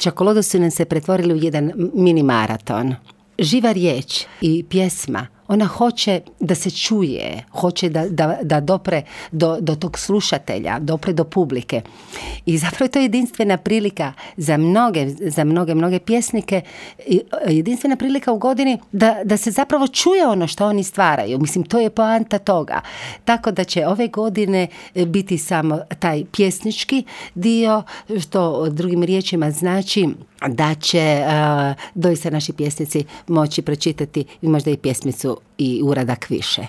Čokolodu su nam se pretvorili u jedan mini maraton. Živa riječ i pjesma, ona hoće da se čuje, hoće da dopre do tog slušatelja, dopre do publike. I zapravo je to jedinstvena prilika za mnoge pjesnike, jedinstvena prilika u godini da se zapravo čuje ono što oni stvaraju. Mislim, to je poanta toga. Tako da će ove godine biti samo taj pjesnički dio, što drugim riječima znači da će doista naši pjesnici moći pročitati možda i pjesmicu i uradak više.